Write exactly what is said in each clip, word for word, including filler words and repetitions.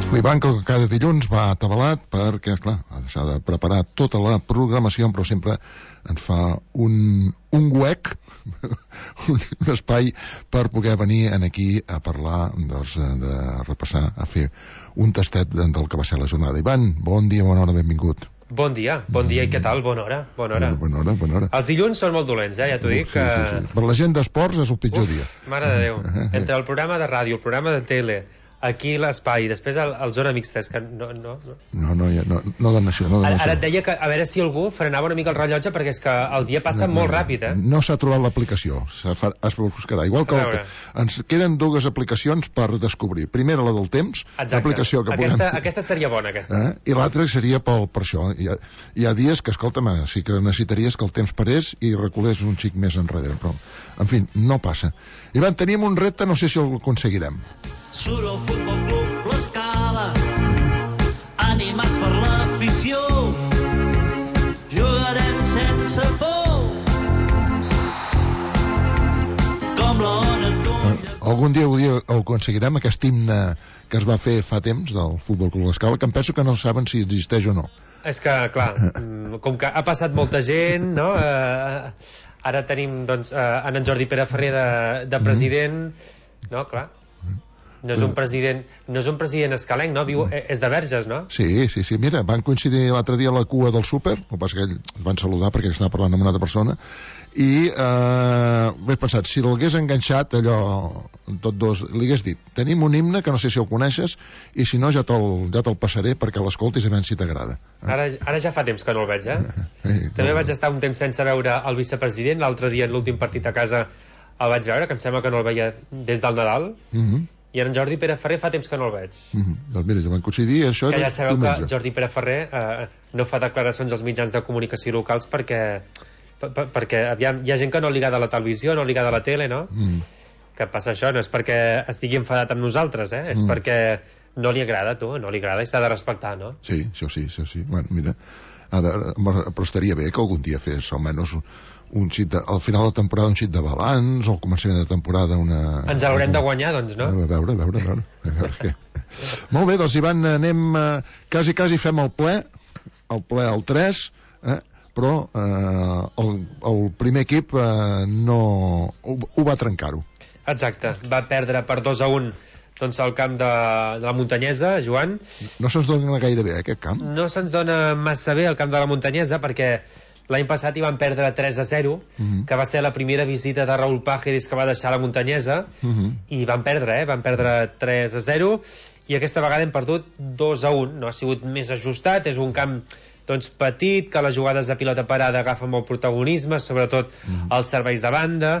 L'Ivan, que cada dilluns va atabalat perquè, clar, s'ha de preparar tota la programació, però sempre ens fa un, un huec, un, un espai per poder venir aquí a parlar, doncs, de repassar, a fer un tastet del que va ser la jornada. Ivan, bon dia, bona hora, benvingut. Bon dia, bon dia i què tal? Bona hora, bona hora. Bona hora, bona hora. Els dilluns són molt dolents, eh? Ja t'ho dic. Sí, sí, sí. Per la gent d'esports és el pitjor Uf, dia. Mare de Déu. Entre el programa de ràdio, el programa de tele, aquí l'espai, després el, el zona mixta, és que no... No, no, no, no, no, no dona això, no dona ara, ara això. et deia que a veure si algú frenava una mica el rellotge, perquè és que el dia passa no, molt no, ràpid, eh? No s'ha trobat l'aplicació, es buscarà. Igual que el, ens queden dues aplicacions per descobrir. Primera, la del temps, l'aplicació que aquesta, podem... aquesta seria bona, aquesta. Eh? I l'altra seria pel, per això. Hi ha, hi ha dies que, escolta'm, sí que necessitaries que el temps parés i reculés un xic més enrere, però, en fi, no passa. Ivan, tenim un repte, no sé si el aconseguirem. Surt el Futbol Club l'Escala, ànimes per l'afició, jugarem sense por, com la ona tuya. Algun dia ho, dia ho aconseguirem, aquest himne que es va fer fa temps del Futbol Club l'Escala, que em penso que no saben si existeix o no. És que, clar, com que ha passat molta gent, no? Eh, ara tenim, doncs, eh, en Jordi Pere Ferrer de, de president, no? Clar. No és un president, no és un president escalenc, no? Viu, és de Verges, no? Sí, sí, sí. Mira, van coincidir l'altre dia a la cua del súper, el que passa que ell es van saludar perquè estava parlant amb una altra persona, i eh, he pensat, si l'hagués enganxat allò, tot dos, li hagués dit, tenim un himne que no sé si el coneixes, i si no ja te'l ja te passaré perquè l'escoltis a veure si t'agrada. Eh? Ara, ara ja fa temps que no el veig, eh? eh També no. vaig estar un temps sense veure el vicepresident, l'altre dia en l'últim partit a casa el vaig veure, que em sembla que no el veia des del Nadal, mm-hmm. i en Jordi Pere Ferrer fa temps que no el veig. Mm-hmm. Doncs mira, ja van coincidir, això... Que ja sabeu que Jordi Pere Ferrer eh, no fa declaracions als mitjans de comunicació locals perquè, per, perquè aviam, hi ha gent que no li agrada la televisió, no li agrada la tele, no? Mm. Que passa això, no és perquè estigui enfadat amb nosaltres, eh? És mm. perquè no li agrada, tu, no li agrada i s'ha de respectar, no? Sí, això sí, això sí. Bueno, mira, a veure, però estaria bé que algun dia fes almenys un xit de, al final de la temporada un xit de balanç, o al començament de temporada una... Ens l'haurem de guanyar, doncs, no? A veure, a veure, a veure, a veure què. Molt bé, doncs Ivan, anem eh, quasi, quasi fem el ple, el ple al tres, eh, però eh, el, el primer equip eh, no ho, ho va trencar-ho. Exacte, va perdre per dos a un doncs al camp de, de la Muntanyesa, Joan. No se'ns dona gaire bé, aquest camp? No se'ns dona massa bé el camp de la Muntanyesa, perquè l'any passat hi van perdre tres a zero, uh-huh. que va ser la primera visita de Raúl Pájeres que va deixar la Muntanyesa, uh-huh. i van perdre, eh? Van perdre tres a zero, i aquesta vegada hem perdut dos a un. No ha sigut més ajustat, és un camp doncs, petit, que les jugades de pilota parada agafen molt protagonisme, sobretot uh-huh. els serveis de banda,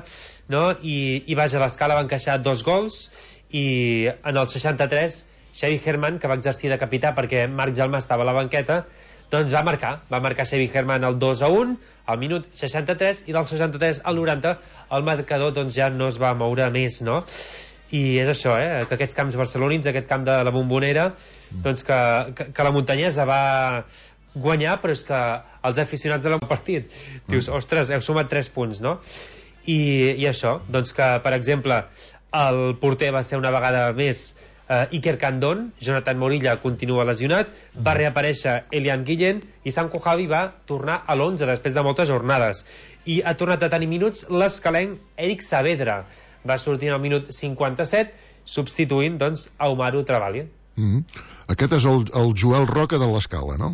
no? I, i vaja, a l'Escala van encaixar dos gols, i en el seixanta-tres Xavi Herman, que va exercir de capità perquè Marc Gelmà estava a la banqueta, doncs va marcar, va marcar Xavi Herman el dos a un al minut seixanta-tres, i del seixanta-tres al noranta el marcador doncs ja no es va moure més, no? I és això, eh? Que aquests camps barcelonins, aquest camp de la Bombonera, doncs que, que, que la Muntanyesa va guanyar, però és que els aficionats de la partit dius, ostres, heu sumat tres punts, no? I, i això, doncs que per exemple el porter va ser una vegada més Uh, Iker Candón, Jonathan Morilla continua lesionat, va reaparèixer Elian Guillén, i Sanko Javi va tornar a l'onze després de moltes jornades, i ha tornat a tenir minuts l'escalenc Eric Saavedra, va sortir al minut cinquanta-set substituint doncs a Umaru Travali. Mm-hmm. Aquest és el, el Joel Roca de l'Escala, no?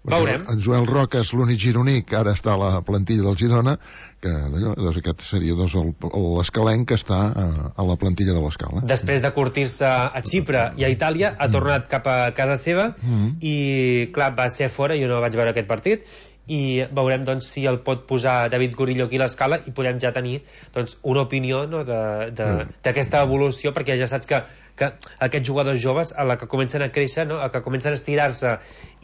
Veurem. En Joel Roca és l'únic gironí que ara està a la plantilla del Girona, que doncs, aquest seria doncs, l'escalenc que està a, a la plantilla de l'Escala. Després de curtir-se a Xipre i a Itàlia, ha tornat cap a casa seva, mm-hmm. i clar, va ser fora, jo no vaig veure aquest partit, i veurem doncs, si el pot posar David Gorillo aquí a l'Escala i podem ja tenir doncs, una opinió, no, d'aquesta mm. evolució, perquè ja saps que, que aquests jugadors joves, a la que comencen a créixer, no, a que comencen a estirar-se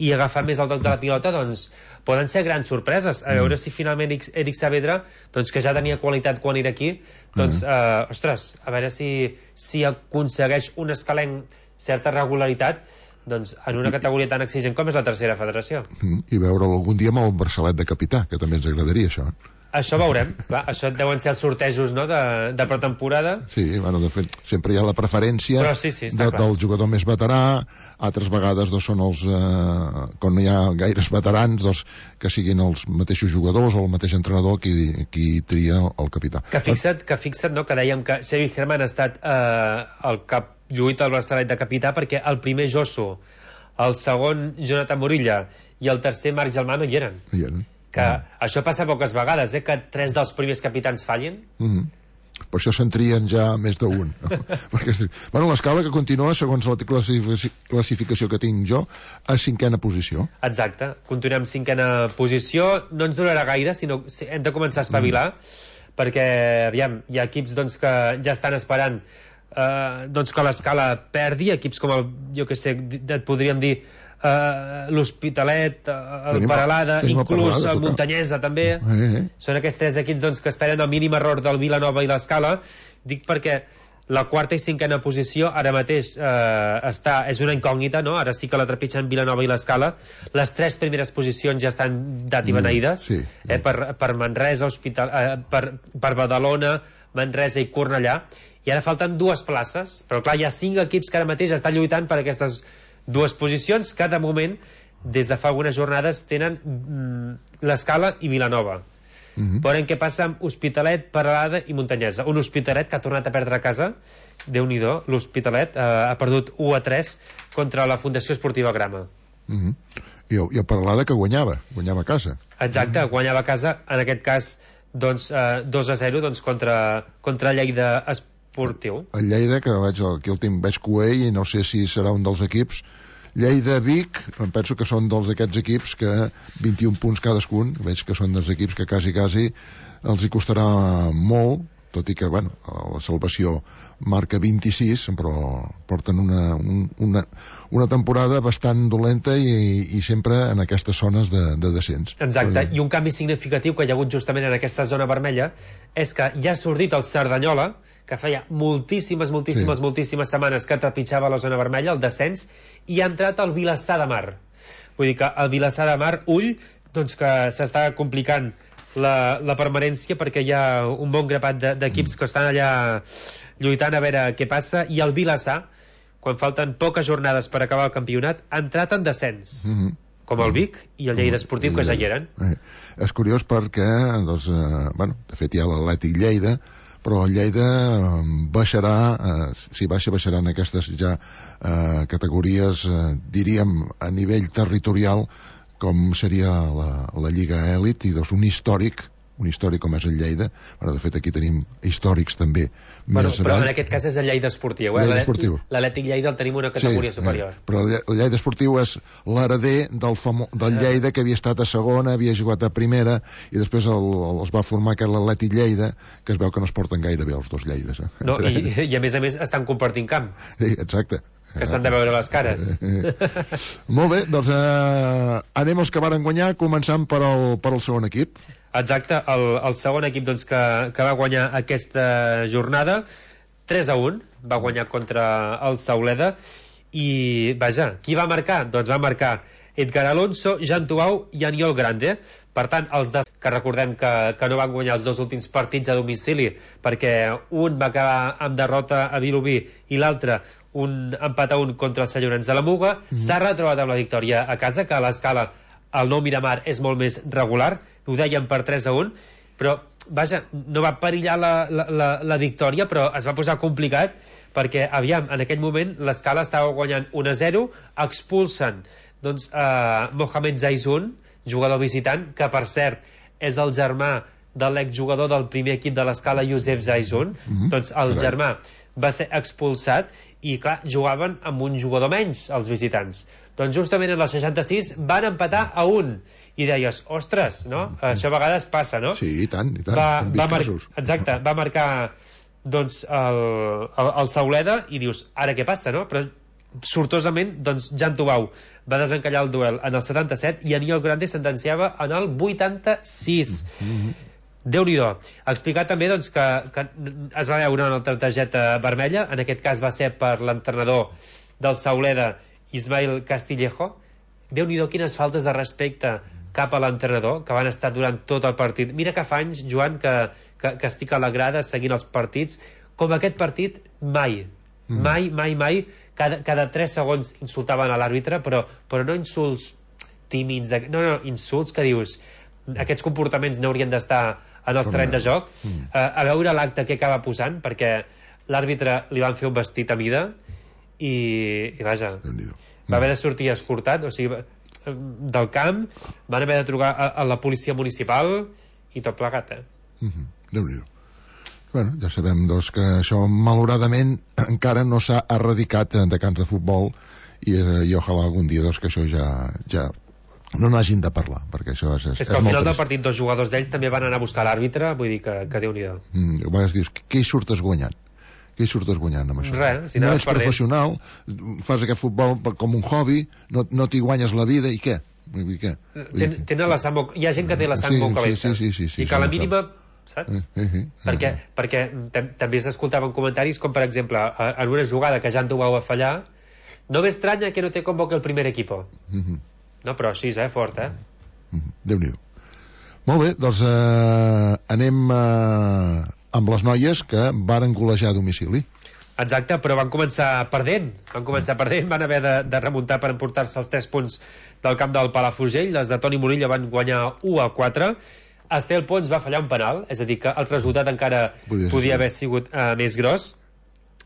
i agafar més el toc de la pilota, doncs poden ser grans sorpreses. A veure mm. si finalment Eric, Eric Saavedra, doncs, que ja tenia qualitat quan era aquí, doncs, mm. eh, ostres, a veure si, si aconsegueix un escalenc certa regularitat, doncs, en una categoria tan exigent com és la tercera federació. Mm, I veure'l algun dia amb el braçalet de capità, que també ens agradaria això. Això veurem, clar, això deuen ser els sortejos, no?, de, de pretemporada. Sí, bueno, de fet, sempre hi ha la preferència Però sí, sí, de, del jugador més veterà, altres vegades doncs, són els, eh, quan no hi ha gaires veterans, doncs, que siguin els mateixos jugadors o el mateix entrenador qui, qui tria el capità. Que fixa't, que fixa't, no?, que dèiem que Xavi Herman ha estat eh, el cap lluit al braçalet de capità, perquè el primer Josu, el segon Jonathan Morilla i el tercer Marc Gelmà no hi eren. Hi eren. Que mm. això passa poques vegades, eh, que tres dels primers capitans fallin. Mm -hmm. Per això se'n trien ja més d'un. Perquè, bueno, l'escala que continua, segons la classificació que tinc jo, a cinquena posició. Exacte, continuem cinquena posició. No ens durarà gaire, sinó hem de començar a espavilar, mm. perquè, aviam, hi ha equips doncs, que ja estan esperant eh, doncs que l'escala perdi, equips com el, jo que sé, et podríem dir Uh, l'Hospitalet, uh, el Peralada, inclús Peralada, el Muntanyesa també. Eh, eh. Són aquests tres equips doncs, que esperen el mínim error del Vilanova i l'Escala. Dic perquè la quarta i cinquena posició ara mateix uh, està, és una incògnita, no? Ara sí que la trepitgen Vilanova i l'Escala. Les tres primeres posicions ja estan dat i beneïdes, mm, sí, eh, sí. per, per Manresa, Hospital, uh, per, per Badalona, Manresa i Cornellà, i ara falten dues places, però clar, hi ha cinc equips que ara mateix estan lluitant per aquestes dues posicions que de moment des de fa algunes jornades tenen mm, l'Escala i Vilanova. Mm-hmm. Veurem què passa amb Hospitalet, Peralada i Muntanyesa. Un Hospitalet que ha tornat a perdre a casa, Déu-n'hi-do, l'Hospitalet eh, ha perdut u a tres contra la Fundació Esportiva Grama. Mm-hmm. I, el, I el Peralada que guanyava guanyava a casa. Exacte, mm-hmm. guanyava a casa, en aquest cas doncs, eh, dos a zero doncs, contra, contra Lleida Esportiu. El Lleida, que vaig, aquí el tinc, veig Coell i no sé si serà un dels equips. Lleida-Vic, em penso que són dels d'aquests equips que vint-i-un punts cadascun, veig que són dels equips que quasi quasi els hi costarà molt, tot i que, bueno, la salvació marca vint-i-sis, però porten una, un, una, una temporada bastant dolenta i, i sempre en aquestes zones de, de descens. Exacte, però... i un canvi significatiu que hi ha hagut justament en aquesta zona vermella és que ja ha sortit el Cerdanyola, que feia moltíssimes, moltíssimes, sí. moltíssimes setmanes que trepitjava la zona vermella, el descens, i ha entrat el Vilassar de Mar. Vull dir que el Vilassar de Mar, ull, doncs que s'està complicant la, la permanència, perquè hi ha un bon grapat d'equips de, que estan allà lluitant a veure què passa, i el Vilassar, quan falten poques jornades per acabar el campionat, ha entrat en descens. Mm-hmm. Com el Vic i el Lleida Esportiu, que ja hi eren. Eh, és curiós perquè, doncs, eh, bueno, de fet hi ha l'Atlètic Lleida, però el Lleida baixarà, eh, si baixa, baixarà en aquestes ja eh, categories, eh, diríem, a nivell territorial, com seria la, la Lliga Elit, i doncs un històric, un històric com és el Lleida. Bueno, de fet, aquí tenim històrics també. Bueno, més però avall. En aquest cas és el Lleida Esportiu. Eh? L'Atlètic Lleida el tenim una categoria sí, superior. Eh, però el Lleida Esportiu és l'hereder del, famo, del Lleida, que havia estat a segona, havia jugat a primera, i després el, el, es va formar aquest l'Atlètic Lleida, que es veu que no es porten gaire bé els dos Lleides. Eh? No, i, i a més a més estan compartint camp. Sí, exacte. Que s'han de veure les cares. Eh, eh. Molt bé, doncs eh, anem els que varen guanyar, començant per el, per el segon equip. Exacte, el, el segon equip doncs, que, que va guanyar aquesta jornada tres a un, va guanyar contra el Sauleda, i vaja, qui va marcar? Doncs va marcar Edgar Alonso, Jan Tuau i Aniol Grande. Per tant, els de... que recordem que, que no van guanyar els dos últims partits a domicili, perquè un va acabar amb derrota a Vilobí i l'altre un empat a un contra els Sallorans de la Muga. Mm-hmm. S'ha retrobat amb la victòria a casa, que a l'escala el nou Miramar és molt més regular, ho dèiem per tres a un, però vaja, no va perillar la, la, la, la victòria, però es va posar complicat, perquè aviam, en aquell moment l'escala estava guanyant un a zero, expulsen doncs eh, Mohamed Zaizun, jugador visitant, que per cert és el germà de l'exjugador del primer equip de l'escala, Josep Zaizun. Mm-hmm. Doncs el germà va ser expulsat i clar, jugaven amb un jugador menys els visitants. Doncs justament en el seixanta-sis van empatar a un i deies, ostres, no? Mm-hmm. Això a vegades passa, no? Sí, i tant, i tant. Va, va mar... Exacte, va marcar doncs el, el, el Sauleda i dius, ara què passa, no? Però sortosament, doncs Jan Tubau va desencallar el duel en el setanta-set i Aniol Grande sentenciava en el vuitanta-sis. Mm-hmm. Déu-n'hi-do. Explicar també doncs, que, que es va veure una altra targeta vermella, en aquest cas va ser per l'entrenador del Sauleda, Ismael Castillejo, Déu-n'hi-do quines faltes de respecte cap a l'entrenador, que van estar durant tot el partit. Mira que fa anys, Joan, que, que, que estic a la grada seguint els partits, com aquest partit mai, mm. mai, mai, mai, cada, cada tres segons insultaven a l'àrbitre, però, però no insults tímids, de, no, no, insults que dius, aquests comportaments no haurien d'estar en els terrenys de joc, mm. a, a veure l'acte que acaba posant, perquè l'àrbitre li van fer un vestit a mida i, i vaja, va haver de sortir escortat, o sigui, del camp, van haver de trucar a, a la policia municipal i tot plegat, eh? Mm-hmm. Déu-n'hi-do. Bueno, ja sabem, doncs, que això malauradament encara no s'ha erradicat de camps de futbol i, eh, i ojalà algun dia doncs, que això ja, ja no n'hagin de parlar, perquè això és... És, és que al final del partit dos jugadors d'ells també van anar a buscar l'àrbitre, vull dir que, que Déu-n'hi-do. Mm, a vegades dius, què hi surtes guanyant? Què hi surtes guanyant amb això? Res, si no ets professional, fas aquest futbol com un hobby, no, no t'hi guanyes la vida, i què? Vull dir, què? Ten, tenen la sang molt... Hi ha gent que té la sang sí, molt calenta. Sí, sí, sí, sí, I que a la mínima... Saps? Eh, eh, eh, perquè eh. perquè també s'escoltaven comentaris com, per exemple, en una jugada que ja en dueu a fallar, no m'estranya que no te convoque el primer equipo. Mm-hmm. No, però així, eh? Fort, eh? Mm-hmm. Déu-n'hi-do. Molt bé, doncs eh, anem... Eh... amb les noies que varen golejar a domicili. Exacte, però van començar perdent van començar perdent, van haver de, de remuntar per emportar-se els tres punts del camp del Palafrugell. Les de Toni Murillo van guanyar u a quatre. Estel Pons va fallar un penal, és a dir que el resultat encara podia, podia haver sigut uh, més gros.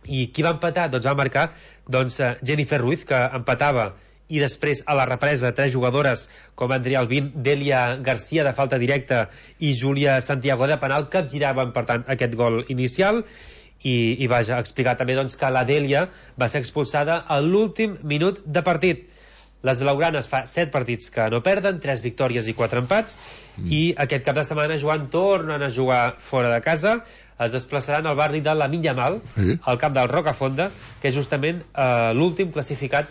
I qui va empatar? Doncs va marcar doncs, uh, Jennifer Ruiz, que empatava, i després a la represa tres jugadores com Andrea Albín, Delia Garcia de falta directa i Júlia Santiago de penal capgiraven per tant aquest gol inicial. i, i vaja, explicar també doncs, que la Delia va ser expulsada a l'últim minut de partit. Les blaugranes fa set partits que no perden, tres victòries i quatre empats, mm. i aquest cap de setmana, Joan, tornen a jugar fora de casa. Es desplaçaran al barri de la Minyamal, sí. al camp del Rocafonda, que és justament eh, l'últim classificat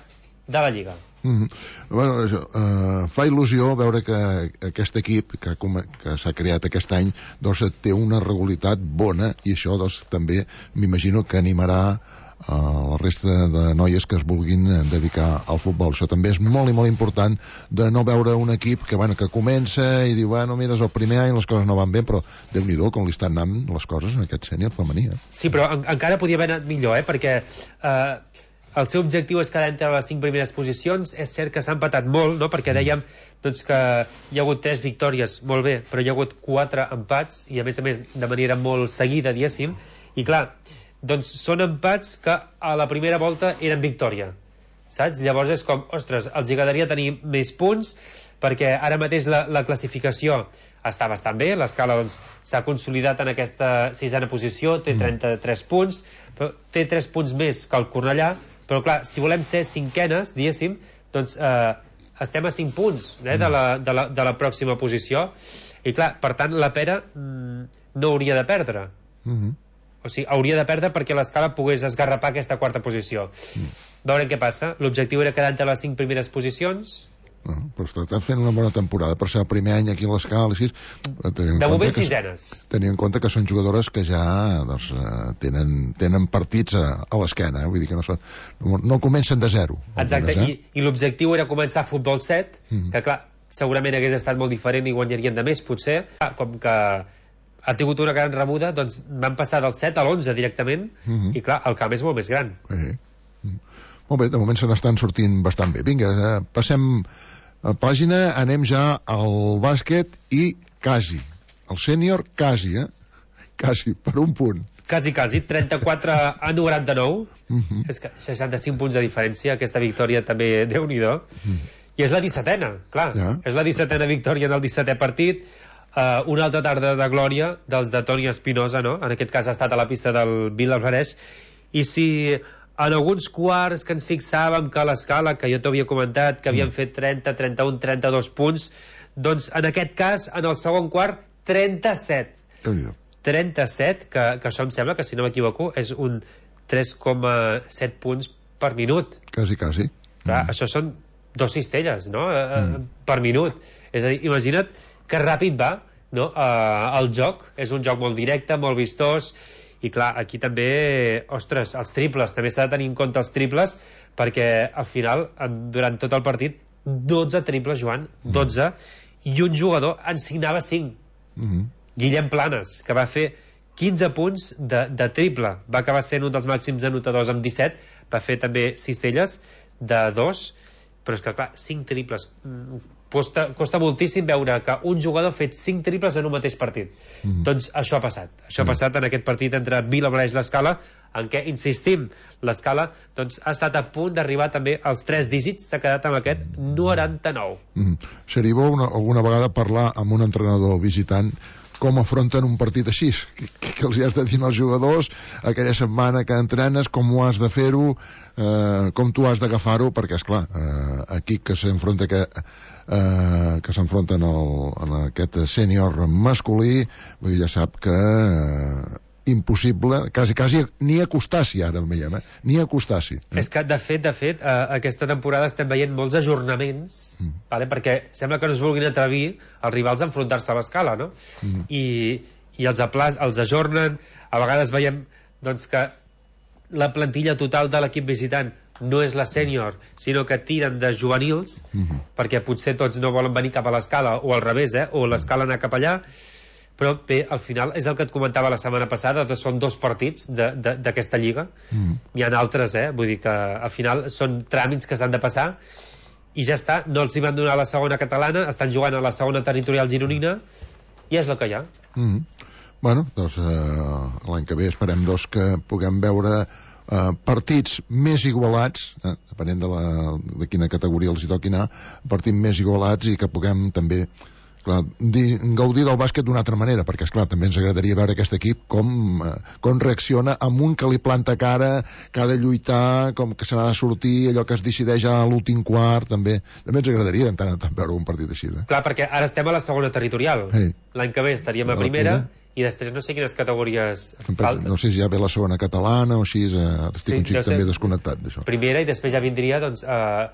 de la Lliga. Mm-hmm. Bueno, això, uh, fa il·lusió veure que aquest equip que, que s'ha creat aquest any doncs, té una regularitat bona, i això doncs, també m'imagino que animarà uh, la resta de noies que es vulguin dedicar al futbol. Això també és molt i molt important, de no veure un equip que, bueno, que comença i diu, bueno, mira, és el primer any, les coses no van bé, però Déu-n'hi-do com li estan anant les coses en aquest sènior femení. Eh? Sí, però en encara podia haver anat millor, eh? perquè eh, el seu objectiu és quedar entre les cinc primeres posicions. És cert que s'ha empatat molt, no? Perquè dèiem doncs, que hi ha hagut tres victòries, molt bé, però hi ha hagut quatre empats, i a més a més de manera molt seguida, diguéssim, i clar, doncs són empats que a la primera volta eren victòria, saps? Llavors és com, ostres, els agradaria tenir més punts, perquè ara mateix la, la classificació està bastant bé, l'escala doncs, s'ha consolidat en aquesta sisena posició, té trenta-tres punts, però té tres punts més que el Cornellà, però clar, si volem ser cinquenes, diguéssim, doncs eh, estem a cinc punts eh, de, la, de, la, de la pròxima posició, i clar, per tant la Pera mm, no hauria de perdre. Mm-hmm. O sigui, hauria de perdre perquè l'escala pogués esgarrapar aquesta quarta posició. Mm. Veurem què passa. L'objectiu era quedar entre les cinc primeres posicions. No, però està fent una bona temporada per ser el primer any aquí a l'escala, així. De moment sisenes. Tenint en compte que són jugadores que ja doncs, tenen, tenen partits a, a l'esquena, eh? Vull dir que no, són, no, no comencen de zero. Exacte, algunes, eh? i, i l'objectiu era començar futbol set, mm-hmm. que clar, segurament hagués estat molt diferent i guanyarien de més, potser. Com que ha tingut una gran rebuda, doncs van passar del set a l'onze directament, mm-hmm. i clar, el camp és molt més gran. Eh. Mm. Molt bé, de moment se n'estan sortint bastant bé. Vinga, eh, passem a pàgina, anem ja al bàsquet i quasi, el sènior quasi, eh? Quasi, per un punt. Quasi, quasi, trenta-quatre a noranta-nou, mm-hmm. és que seixanta-cinc punts de diferència, aquesta victòria també, Déu-n'hi-do, mm. i és la dissetena, clar, ja. és la dissetena victòria en el dissetè partit, uh, una altra tarda de glòria dels de Toni Espinosa, no? En aquest cas ha estat a la pista del Vila Alvarez, i si en alguns quarts que ens fixàvem que a l'escala, que jo t'havia comentat que havien mm. fet trenta, trenta-un, trenta-dos punts, doncs en aquest cas en el segon quart trenta-set trenta-set, que, que això em sembla que si no m'equivoco és un tres coma set punts per minut, quasi, quasi. Clar, mm. això són dos cistelles, no? Mm. per minut, és a dir, imagina't que ràpid va, no? Uh, el joc és un joc molt directe, molt vistós. I clar, aquí també, ostres, els triples, també s'ha de tenir en compte els triples, perquè al final, durant tot el partit, dotze triples, Joan, dotze, i un jugador en signava cinc. Mm-hmm. Guillem Planes, que va fer quinze punts de, de triple, va acabar sent un dels màxims anotadors amb disset, va fer també cistelles de dos, però és que clar, cinc triples, costa, costa moltíssim veure que un jugador ha fet cinc triples en un mateix partit. Mm. Doncs això ha passat, això mm. ha passat en aquest partit entre Vilablareix i l'Escala, en què, insistim, l'Escala doncs, ha estat a punt d'arribar també als tres dígits, s'ha quedat amb aquest noranta-nou. Mm. Seria bo una, alguna vegada parlar amb un entrenador visitant com afronten un partit així, que, que els hi has de dir als jugadors aquella setmana que entrenes, com ho has de fer-ho, eh, com tu has d'agafar-ho, perquè esclar, eh, aquí que s'enfronta que, eh, que s'enfronten en aquest sènior masculí, vull dir, ja sap que eh, impossible, quasi, quasi ni acostar-s'hi ara el veiem, eh? ni acostar-s'hi. Eh? És que, de fet, de fet, eh, aquesta temporada estem veient molts ajornaments, mm. vale? Perquè sembla que no es vulguin atrevir els rivals a enfrontar-se a l'Escala, no? Mm. I, i els, apla els ajornen, a vegades veiem doncs, que la plantilla total de l'equip visitant no és la sènior, sinó que tiren de juvenils, mm-hmm. perquè potser tots no volen venir cap a l'Escala, o al revés, eh? o l'Escala anar cap allà, però bé, al final és el que et comentava la setmana passada, són dos partits d'aquesta lliga, mm. hi ha altres, eh? vull dir que al final són tràmits que s'han de passar i ja està, no els hi van donar la segona catalana, estan jugant a la segona territorial gironina i és el que hi ha. Mm. Bueno, doncs eh, l'any que ve esperem doncs, que puguem veure eh, partits més igualats, eh, depenent de, la, de quina categoria els hi toqui anar, partits més igualats i que puguem també clar, di, gaudir del bàsquet d'una altra manera, perquè esclar, també ens agradaria veure aquest equip com, eh, com reacciona amb un que li planta cara, que ha de lluitar, com que se n'ha de sortir, allò que es decideix a l'últim quart, també també ens agradaria en tant en tant veure un partit així. Eh? Clar, perquè ara estem a la segona territorial, hey. L'any que ve estaríem a primera, i després no sé quines categories falten. No sé si ja ve la segona catalana o així, eh, estic sí, un xic també desconnectat d'això. Primera, i després ja vindria doncs eh,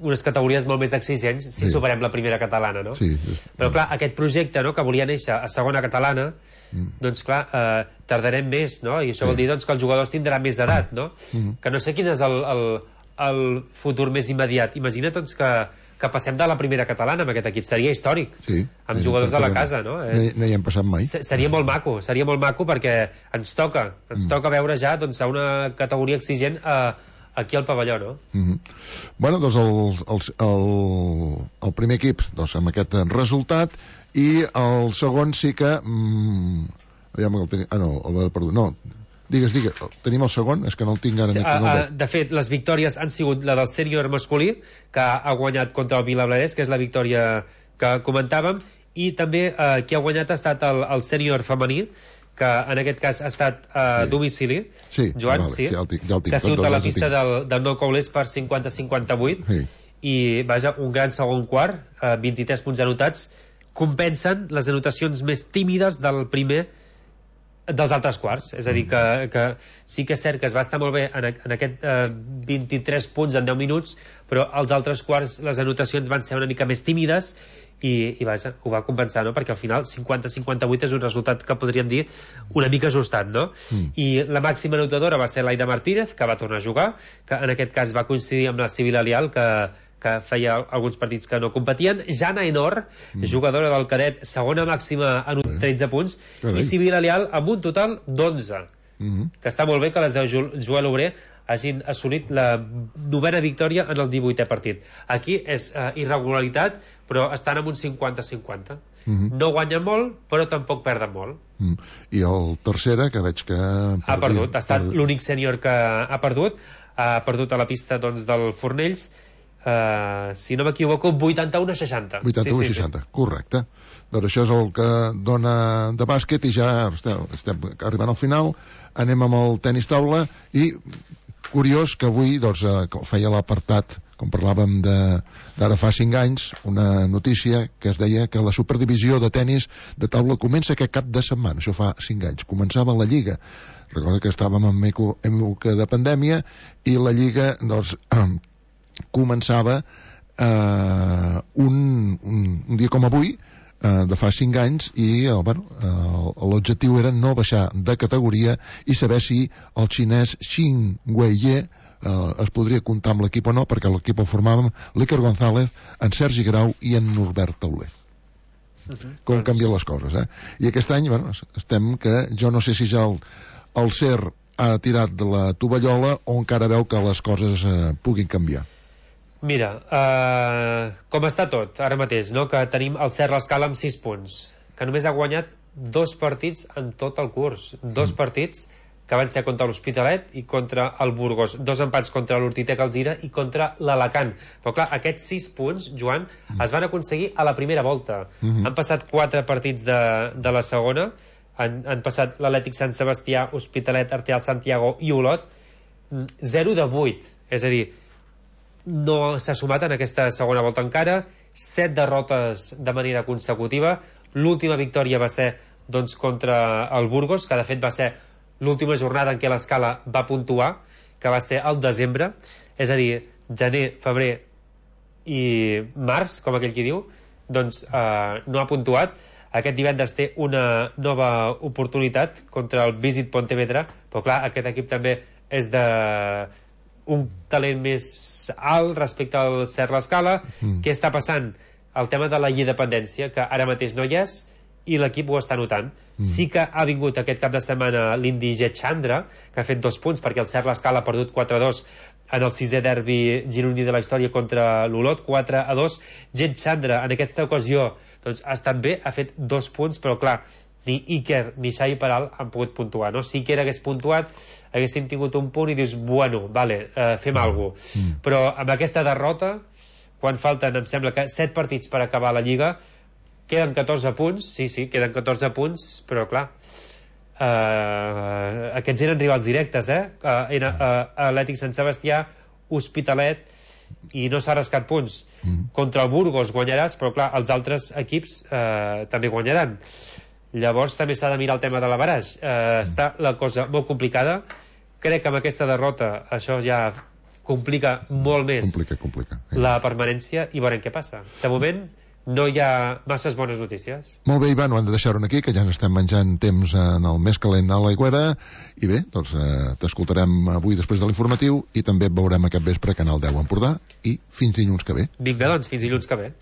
unes categories molt més exigents si sí. superem la primera catalana, no? Sí, sí. Però clar, aquest projecte, no?, que volia néixer a segona catalana, mm. doncs clar, eh, tardarem més, no? I això sí. vol dir doncs, que els jugadors tindran més edat, no? Mm. Que no sé quin és el, el, el futur més immediat. Imagina't doncs, que, que passem de la primera catalana amb aquest equip. Seria històric, sí, amb sí, jugadors de la casa, no? És, no hi hem passat mai. Seria molt maco, seria molt maco perquè ens toca, ens mm. toca veure ja doncs, a una categoria exigent a eh, aquí al pavelló, no? Mm-hmm. Bueno, doncs el, el, el, el primer equip doncs, amb aquest resultat i el segon sí que mm, aviam el teni... ah no, el, perdó, no digues, digues, tenim el segon? És que no el tinc ara sí, a, a, de fet, les victòries han sigut la del sènior masculí, que ha guanyat contra el Vilablareix, que és la victòria que comentàvem, i també eh, qui ha guanyat ha estat el, el sènior femení, que en aquest cas ha estat a uh, sí. domicili, sí, Joan, vale, sí, ja el tinc, ja el tinc, que ha sigut a la pista del, del Nou Coulés per cinquanta a cinquanta-vuit, sí. i vaja, un gran segon quart, uh, vint-i-tres punts anotats, compensen les anotacions més tímides del primer dels altres quarts, és a dir que, que sí que és cert que es va estar molt bé en, en aquest uh, vint-i-tres punts en deu minuts, però als altres quarts les anotacions van ser una mica més tímides i, i vaja, ho va compensar, no? Perquè al final cinquanta a cinquanta-vuit és un resultat que podríem dir una mica ajustat, no? Mm. I la màxima anotadora va ser l'Aida Martínez, que va tornar a jugar, que en aquest cas va coincidir amb la Sibila Lial, que, que feia alguns partits que no competien. Jana Enor, mm. jugadora del cadet, segona màxima en tretze punts, Carai. I Sibila Lial amb un total d'onze, mm-hmm. que està molt bé que les deu Joel Obrer hagin assolit la novena victòria en el divuitè partit. Aquí és uh, irregularitat, però estan amb un cinquanta a cinquanta. Mm-hmm. No guanyen molt, però tampoc perden molt. Mm. I el tercera, que veig que... Perdi, ha perdut, ha estat per... l'únic sènior que ha perdut, ha perdut a la pista doncs, del Fornells, uh, si no m'equivoco, vuitanta-u a seixanta. vuitanta-u a seixanta, sí, sí. Correcte. Doncs això és el que dona de bàsquet i ja estem, estem arribant al final. Anem amb el tenis taula i curiós que avui doncs, eh, feia l'apartat, com parlàvem d'ara fa cinc anys, una notícia que es deia que la superdivisió de tenis de taula comença aquest cap de setmana. Això fa cinc anys. Començava la Lliga. Recorda que estàvem en època de pandèmia i la Lliga doncs, eh, començava eh, un, un, un dia com avui, de fa cinc anys i eh, bueno, eh, l'objectiu era no baixar de categoria i saber si el xinès Xin Weie eh, es podria comptar amb l'equip o no, perquè l'equip el formàvem l'Iker González, en Sergi Grau i en Norbert Tauler. Uh-huh. Com doncs... canvien les coses, eh? I aquest any, bueno, estem que jo no sé si ja el, el Ser ha tirat de la tovallola o encara veu que les coses eh, puguin canviar. Mira, uh, com està tot ara mateix, no? Que tenim el Ser l'Escala amb sis punts, que només ha guanyat dos partits en tot el curs, dos mm. partits que van ser contra l'Hospitalet i contra el Burgos, dos empats contra l'Urtitec Alzira i contra l'Alacant. Però clar, aquests sis punts, Joan, mm. es van aconseguir a la primera volta. Mm-hmm. Han passat quatre partits de, de la segona, han, han passat l'Atlètic Sant Sebastià, Hospitalet, Arteal Santiago i Olot, zero de vuit, és a dir, no s'ha sumat en aquesta segona volta encara, set derrotes de manera consecutiva. L'última victòria va ser doncs, contra el Burgos, que de fet va ser l'última jornada en què l'Escala va puntuar, que va ser al desembre, és a dir, gener, febrer i març, com aquell qui diu, doncs eh, no ha puntuat. Aquest divendres té una nova oportunitat contra el Visit Pontevedra, però clar, aquest equip també és de un talent més alt respecte al Ser l'Escala. Mm. Què està passant? El tema de la independència, que ara mateix no hi és, i l'equip ho està notant. Mm. Sí que ha vingut aquest cap de setmana l'Indi Jet Chandra, que ha fet dos punts perquè el Ser l'Escala ha perdut quatre a dos en el sisè derbi gironí de la història contra l'Olot, quatre a dos. Jet Chandra en aquesta ocasió doncs, ha estat bé, ha fet dos punts, però clar, ni Iker ni Xavi Peral han pogut puntuar, no? Si Iker hagués puntuat haguéssim tingut un punt i dius, bueno, vale, eh, fem mm. alguna cosa. Mm. Però amb aquesta derrota, quan falten, em sembla que set partits per acabar la Lliga, queden catorze punts, sí, sí, queden catorze punts, però clar, eh, aquests eren rivals directes, eh? eh, eh Atlètic Sant Sebastià, Hospitalet, i no s'ha rascat punts. Mm. Contra el Burgos guanyaràs, però clar, els altres equips eh, també guanyaran. Llavors també s'ha de mirar el tema de l'averaix. Eh, està la cosa molt complicada. Crec que amb aquesta derrota això ja complica molt més complica, complica. la permanència i veurem què passa. De moment no hi ha masses bones notícies. Molt bé, Ivan, ho hem de deixar-ho aquí, que ja ens estem menjant temps en el més calent a l'Aigüera, i bé, doncs eh, t'escoltarem avui després de l'informatiu i també et veurem aquest vespre a Canal deu Empordà, i fins dilluns que ve. Vinga, doncs, fins dilluns que ve.